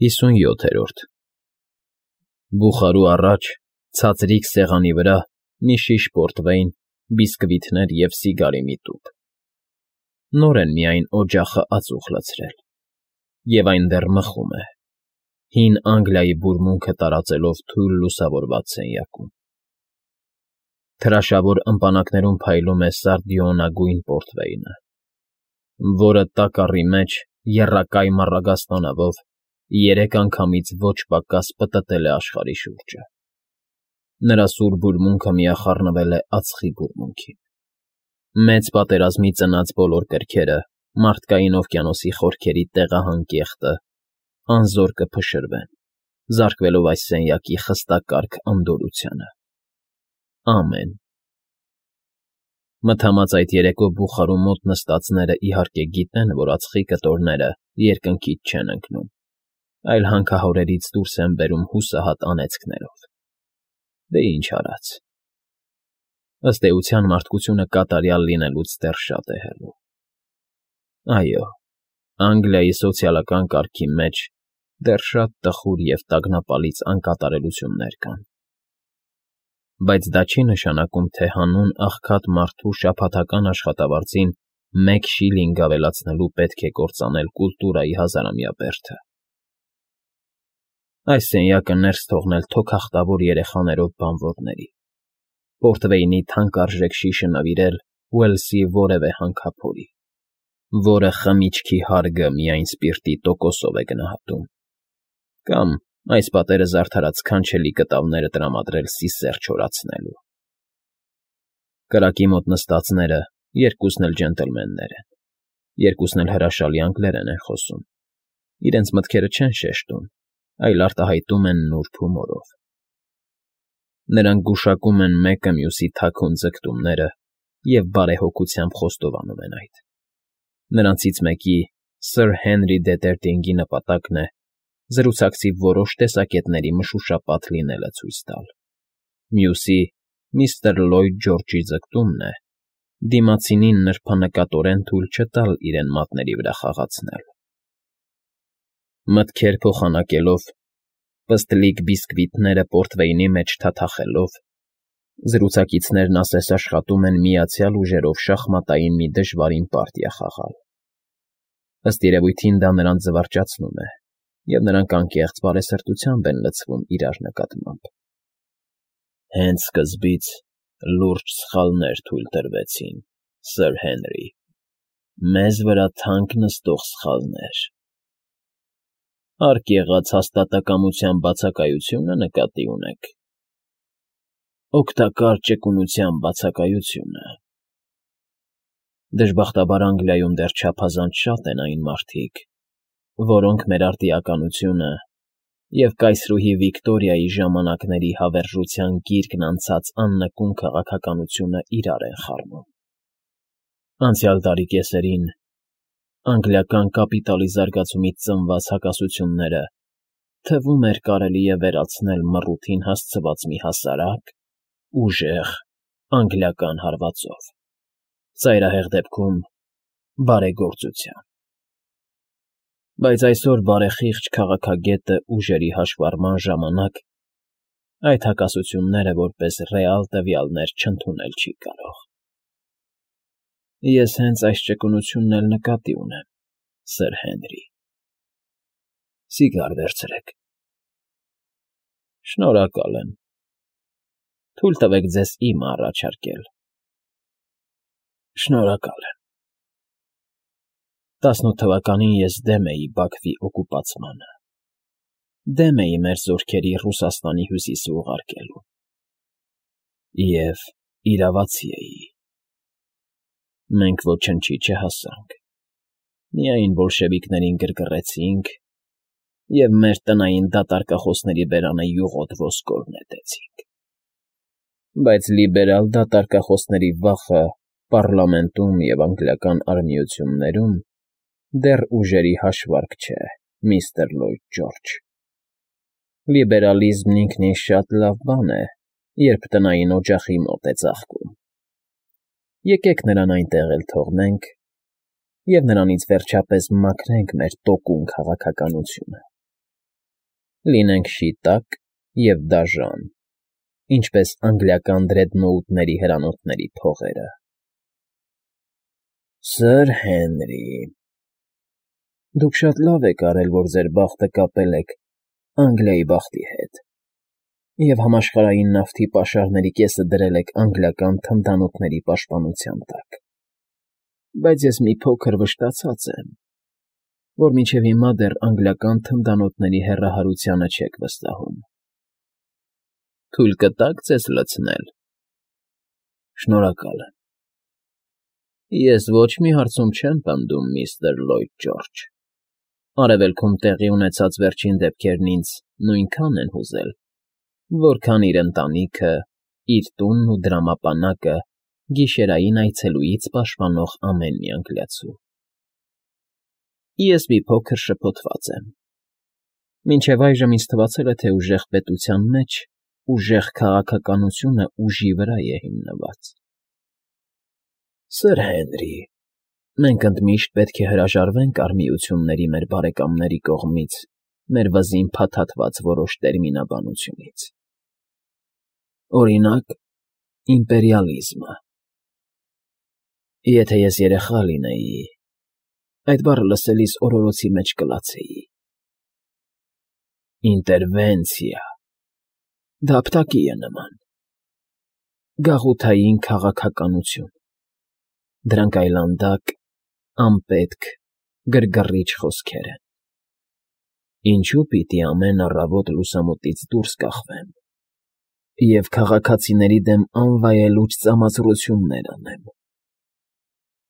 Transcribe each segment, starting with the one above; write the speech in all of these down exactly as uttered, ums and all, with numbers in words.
Հիսունյոթերորդ Բուխարու առաջ, ցածրիկ սեղանի վրա մի շիշ պորտվեյն, բիսկվիթներ և սիգարի մի տուփ. նոր են միայն օջախը ածուխ լցրել, և այն դեռ մխում է, հին Անգլիայի բուրմունքը տարածելով թույլ լուսավորված սենյակում. թրաշավոր ըմպանակներում փայլում է սարդիոնագույն պորտվեյնը, որը տակառի մեջ, եռակայ մառագաստանավով, երեք անգամից ոչ պակաս պտտել է աշխարհի շուրջը. նրա սուր բուրմունքը միախառնվել է ածխի բուրմունքին. մեծ պատերազմի ծնած բոլոր կրքերը, մարդկային օվկիանոսի խորքերի տեղահան կեղտը, անզոր կփշրվեն, զարկվելով այս սենյակի խստակարգ անդորրությանը. ամեն… Մթամած այդ երեկո Բուխարու մոտ նստածները իհարկե գիտեն, որ ածխի կտորները երկնքից չեն ընկնում, այլ հանքահորերից դուրս են բերում հուսահատ անեծքներով. դե ինչ արած… Ըստ էության, մարդկությունը կատարյալ լինելուց դեռ շատ է հեռու… Այո, Անգլիայի սոցիալական կարգի մեջ դեռ շատ տխուր և տագնապալից անկատարելություններ կան, բայց դա չի նշանակում, թե հանուն աղքատ մարդու շաբաթական աշխատավարձին մեկ շիլինգ ավելացնելու պետք է կործանել կուլտուրայի հազարամյա բերդը… Այս սենյակը ներս թողնել թոքախտավոր երեխաներով բանվորների, պորտվեյնի թանկարժեք շիշը նվիրել Ուելսի որևէ հանքափորի, որը խմիչքի հարգը միայն սպիրտի տոկոսով է գնահատում, կամ այս պատերը զարդարած սքանչելի կտավները տրամադրել սիսեռ չորացնելու… Կրակի մոտ նստածները երկուսն էլ ջենտլմեններ են, երկուսն էլ հրաշալի անգլերեն են խոսում, իրենց մտքերը չեն շեշտում, այլ արտահայտում են նուրբ հումորով. նրանք գուշակում են մեկը մյուսի թաքուն ձգտումները և բարեհոգությամբ խոստովանում են այդ. նրանցից մեկի՝ Սըր Հենրի Դետերտինգի նպատակն է զրուցակցի որոշ տեսակետների մշուշապատ լինելը ցույց տալ, մյուսի՝ միստր Լլոյդ Ջորջի ձգտումն է դիմացինին նրբանկատորեն թույլ չտալ իրեն մատների վրա խաղացնել… Մտքեր փոխանակելով, պստլիկ բիսկվիթները պորտվեյնի մեջ թաթախելով, զրուցակիցներն ասես աշխատում են միացյալ ուժերով շախմատային մի դժվարին պարտիա խաղալ… Ըստ երևույթին դա նրանց զվարճացնում է, և նրանք անկեղծ բարեսրտությամբ են լցվում իրար նկատմամբ. Հենց սկզբից լուրջ սխալներ թույլ տրվեցին, Սըր Հենրի, մեզ վրա թանկ նստող սխալներ… Հարկ եղած հաստատակամության բացակայությո՞ւնը նկատի ունեք… Օգտակար ճկունության բացակայությունը… Դժբախտաբար Անգլիայում դեռ չափազանց շատ են այն մարդիկ, որոնք մեր արտիականությունը և կայսրուհի Վիկտորիայի ժամանակների հավերժության գիրկն անցած աննկուն քաղաքականությունը իրար են խառնում… Անցյալ դարի կեսերին անգլիական կապիտալի զարգացումից ծնված հակասությունները թվում էր կարելի է վերացնել մռութին հասցված մի հասարակ, ուժեղ անգլիական հարվածով, ծայրահեղ դեպքում՝ բարեգործության… Բայց այսօր բարեխիղճ քաղաքագետը ուժերի հաշվառման ժամանակ այդ հակասությունները որպես ռեալ տվյալներ չընդունել չի կարող… Ես հենց այս ճկունությունն էլ նկատի ունեմ, Սըր Հենրի… Սիգար վերցրեք… Շնորհակալ եմ… Թույլ տվեք ձեզ իմը առաջարկել… Շնորհակալ եմ… տասնութ թվականին ես դեմ էի Բաքվի օկուպացմանը, դեմ էի մեր զորքերի Ռուսաստանի հյուսիսը ուղարկելուն… Եվ իրավացի էի… Մենք ոչնչի չհասանք, միայն բոլշևիկներին գրգռեցինք և մեր տնային դատարկախոսների բերանը յուղոտ ոսկոր նետեցինք… Բայց լիբերալ դատարկախոսների վախը պառլամենտում և անգլիական արհմիություններում դեռ ուժերի հաշվարկ չէ, միստր Լլոյդ Ջորջ… Լիբերալիզմն ինքնին շատ լավ բան է, երբ տնային օջախի մոտ է ծաղկում… Եկեք նրան այնտեղ էլ թողնենք և նրանից վերջապես մաքրենք մեր տոկուն քաղաքականությունը… Լինենք շիտակ և դաժան, ինչպես անգլիական դրեդնոուտների հրանոթների փողերը։ Սըր Հենրի, դուք շատ լավ եք արել, որ ձեր բախտը կապել եք Անգլիայի բախտի հետ և համաշխարհային նավթի պաշարների կեսը դրել եք անգլիական թնդանոթների պաշտպանության տակ, բայց ես մի փոքր վշտացած եմ, որ մինչև հիմա դեռ անգլիական թնդանոթների հեռահարությանը չեք վստահում։ Թույլ կտա՞ք ձեզ լցնել։ Շնորհակալ եմ։ Ես ոչ մի հարցում չեմ պնդում, միստր Լլոյդ Ջորջ, Արևելքում տեղի ունեցած վերջին դեպքերն ինձ նույնքան են հուզել, որքան իր ընտանիքը, իր տունն ու դրամապանակը գիշերային այցելուից պաշտպանող ամեն մի անգլիացու։ Ես մի փոքր շփոթված եմ։ Մինչև այժմ ինձ թվացել է, թե ուժեղ պետության մեջ ուժեղ քաղաքականությունը ուժի վրա է հիմնված։ Սըր Հենրի, մենք ընդմիշտ պետք է հրաժարվենք արմիությունների մեր բարեկամների կողմից մեր վզին փաթաթված որոշ տերմինաբանությունից։ Օրինակ, իմպերիալիզմը։ Եթե ես երեխա լինեի, այդ բառը լսելիս օրորոցի մեջ կլացեի։ Ինտերվենցիա, դա ապտակի է նման։ Գաղութային քաղաքականություն, դրանք այլանդակ, անպետք, գրգռիչ խոսքեր են։ Ինչու պիտի ամեն առավոտ լուսամուտից դուրս կախվեմ և քաղաքացիների դեմ անվայելուչ ծամացրություններ անեմ։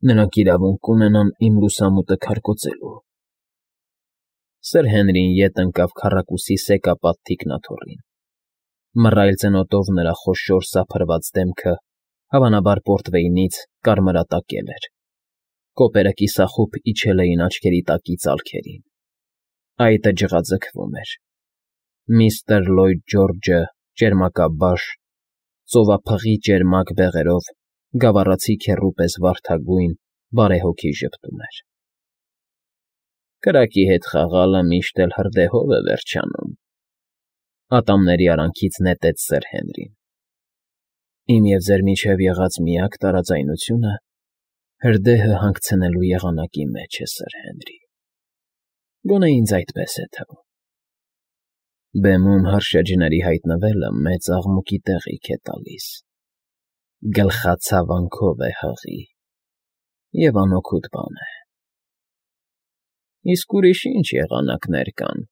Նրանք իրավունք կունենան իմ լուսամուտը քարկոծելու։ Սըր Հենրին ետ ընկավ քառակուսի սեկապատ թիկնաթոռին։ Մռայլ ծնոտով նրա խոշոր սափրված դեմքը, հավանաբար պորտվեյնից, կարմրատակել էր։ Կոպերը կիսախուփ իջել էին աչքերի տակից ալքերին։ Այտը ջղաձգվում էր։ Միստր Լլոյդ Ջորջը ճերմակաբաշ, ծովափղի ճերմակ բեղերով, գավառացի քեռու պես վարդագույն, բարեհոգի ժպտում էր։ Կրակի հետ խաղալը միշտ էլ հրդեհով է վերջանում, ատամների արանքից նետեց սըր Հենրին։ Իմ և ձեր միջև եղած միակ տարաձայնությունը հրդեհը հանգցնելու եղանակի մեջ է, սըր Հենրի, գոնե ինձ այդպես է թվում։ Բեմում հրշեջների հայտնվելը մեծ աղմուկի տեղիք է տալիս, գլխացավանքով է հղի և անօգուտ բան է։ Իսկ ուրիշ ի՞նչ եղանակներ կան։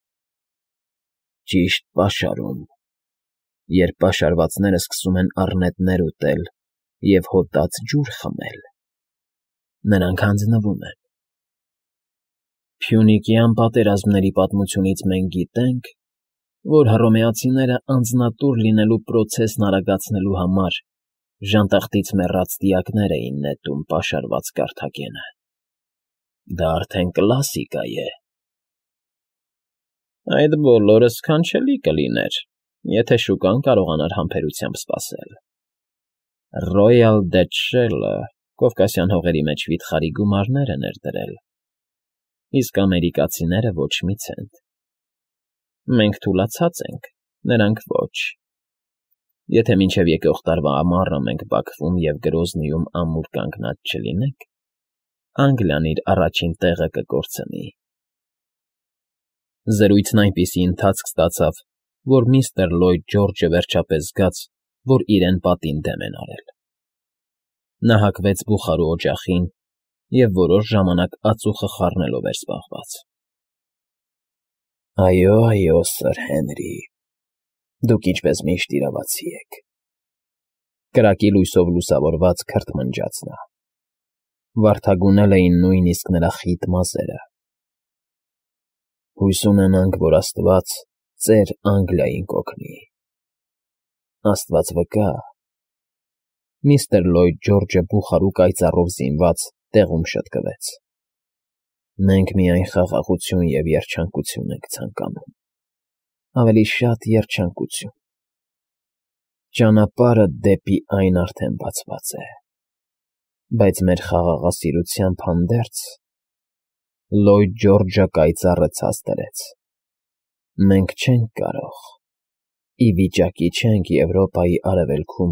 Ճիշտ պաշարում, երբ պաշարվածները սկսում են առնետներ ուտել և հոտած ջուր խմել, նրանք հանձնվում են։ Փյունիկյան պատերազմների պատմությունից մենք գիտենք, որ հռոմեացիները անձնատուր լինելու պրոցեսն արագացնելու համար ժանտախտից մեռած դիակներ էին նետում պաշարված Կարթագենը։ Դա արդեն կլասիկա է։ Այդ բոլորը սքանչելի կլիներ, եթե շուկան կարողանար համբերությամբ սպասել։ Ռոյալ Դեթ Շելը Կովկասյան հողերի մեջ վիթխարի գումարներ է ներդրել, իսկ ամերիկացիները ոչ մի ցենտ։ Մենք թուլացած ենք, նրանք ոչ։ Եթե մինչև եկող տարվա ամառը մենք Բաքվում և Գրոզնիում ամուր կանգնած չլինենք, Անգլիան իր առաջին տեղը կկորցնի։ Զրույցն այնպիսի ընթացք ստացավ, որ միստր Լլոյդ Ջորջը վերջապես զգաց, որ իրեն պատին դեմ են արել։ Նա հագվեց բուխարու օջախին և որոշ ժամանակ ածուխը խառնելով էր զբաղված։ Այո, այո, սըր Հենրի, դուք ինչպես միշտ իրավացի եք, կրակի լույսով լուսավորված քրթմնջաց նա։ Վարդագունել էին նույնիսկ նրա խիտ մազերը։ Հույս ունենանք, որ աստված ծեր Անգլիային կօգնի։ Աստված վկա։ Միստր Լլոյդ Ջորջը բուխարու կայծառով զինված տեղում շտկվեց։ Մենք միայն խաղաղություն և երջանկություն ենք ցանկանում, ավելի շատ երջանկություն։ Ճանապարհը դեպի այն արդեն բացված է, բայց մեր խաղաղասիրությամբ հանդերձ Լլոյդ Ջորջը կայծառը ցած դրեց։ Մենք չենք կարող, ի վիճակի չենք Եվրոպայի արևելքում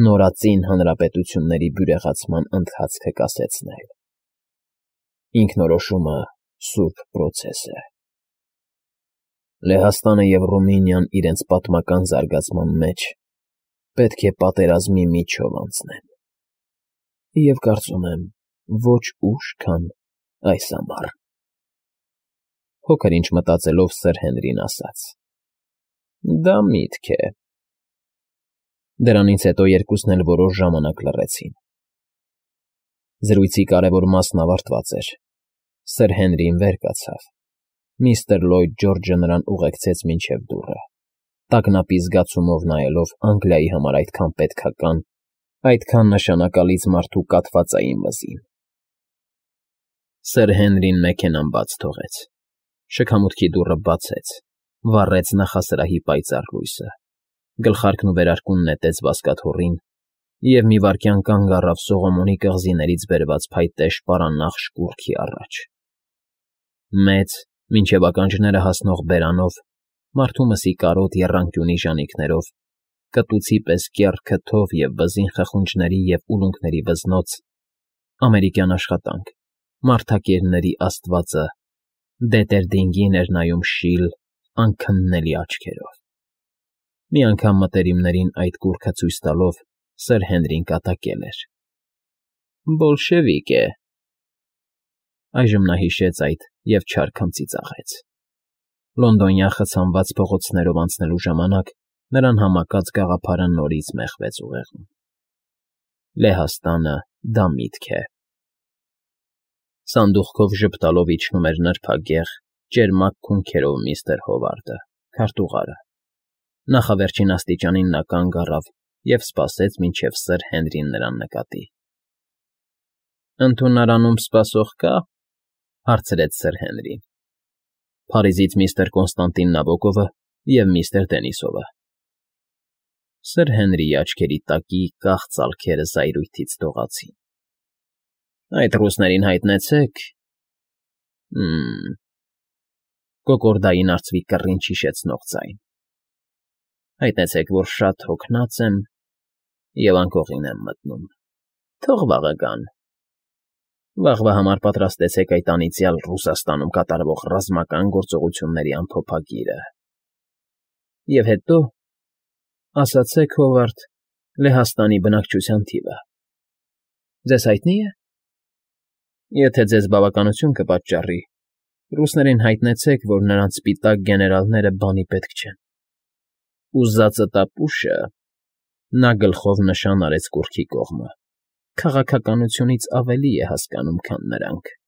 նորածին հանրապետությունների բյուրեղացման ընթացքը կասեցնել։ Ինքնորոշումը սուրբ պրոցես է։ Լեհաստանը և Ռումինիան իրենց պատմական զարգացման մեջ պետք է պատերազմի միջով անցնեն, և կարծում եմ, ոչ ուշ, քան այս ամառ։ Փոքր-ինչ մտածելով Սըր Հենրին ասաց. Դա միտք է։ Դրանից հետո երկուսն էլ որոշ ժամանակ լռեցին։ Զրույցի կարևոր մասն ավարտված էր։ Սըր Հենրին վեր կացավ։ Միստր Լլոյդ Ջորջը նրան ուղեկցեց մինչև դուռը, տագնապի զգացումով նայելով Անգլիայի համար այդքան պետքական, այդքան նշանակալից մարդու կաթվածային վզին։ Սըր Հենրին մեքենան բաց թողեց, շքամուտքի դուռը բացեց, վառեց նախասրահի պայծառ լույսը, գլխարկն ու վերարկուն նետեց բազկաթոռին և մի վայրկյան կանգ առավ Սողոմոնի կղզիներից բերված փայտե շպարանախշ կուռքի առաջ։ Մեծ, մինչև ականջները հասնող բերանով, մարդու մսի կարոտ եռանկյունի ժանիքներով, կտուցի պես կեռ քթով և բզին խխունջների և ուլունքների վզնոց, ամերիկյան աշխատանք, մարդակերների աստվածը Դետերդինգին էր նայում շիլ, անքննելի աչքերով։ Մի անգամ մտերիմներին այդ կուռքը ցույց տալով Սըր Հենրին կատակել էր. «Բոլշևիկ է»։ Այժմ նա հիշեց այդ և չար քմծի ծաղեց։ Լոնդոնյան խցանված փողոցներով անցնելու ժամանակ նրան համակած գաղափարը նորից մեխվեց ուղեղում։ Լեհաստանը դա միտք է։ Սանդուղքով ժպտալով իջնում էր նրբագեղ, ճերմակ քունքերով միստր Հովարդը, քարտուղարը։ Նախավերջին աստիճանին նա կանգ առավ և սպասեց, մինչև Սըր Հենրին նրան նկատի։ «Ընդունարանում սպասող կա՞, ֊ հարցրեց Սըր Հենրին։ ֊ Փարիզից միստր Կոնստանտին Նաբոկովը և միստր Դենիսովը։ Սըր Հենրիի աչքերի տակի կախ ծալքերը զայրույթից դողացին։ ֊ Այդ ռուսներին հայտնեցե՞ք։ ֊ Հը՜մ… Կոկորդային արծվի կռինչ հիշեցնող ձայն։ ֊ Հայտնեցեք, որ շատ հոգնած եմ և անկողին եմ մտնում։ Թող վաղը գան։ Վաղվա համար պատրաստեցեք այդ անիծյալ Ռուսաստանում կատարվող ռազմական գործողությունների ամփոփագիրը։ Եվ հետո, ասացեք, Հովարդ, Լեհաստանի բնակչության թիվը ձեզ հայտնի՞ է։ Եթե ձեզ բավականություն կպատճառի, ռուսներին հայտնեցեք, որ նրանց սպիտակ գեներալները բանի պետք չեն։ Ուզածը տապուշը… Նա գլխով նշան արեց կուռքի կողմը, քաղաքականությունից ավելի է հասկանում, քան նրանք։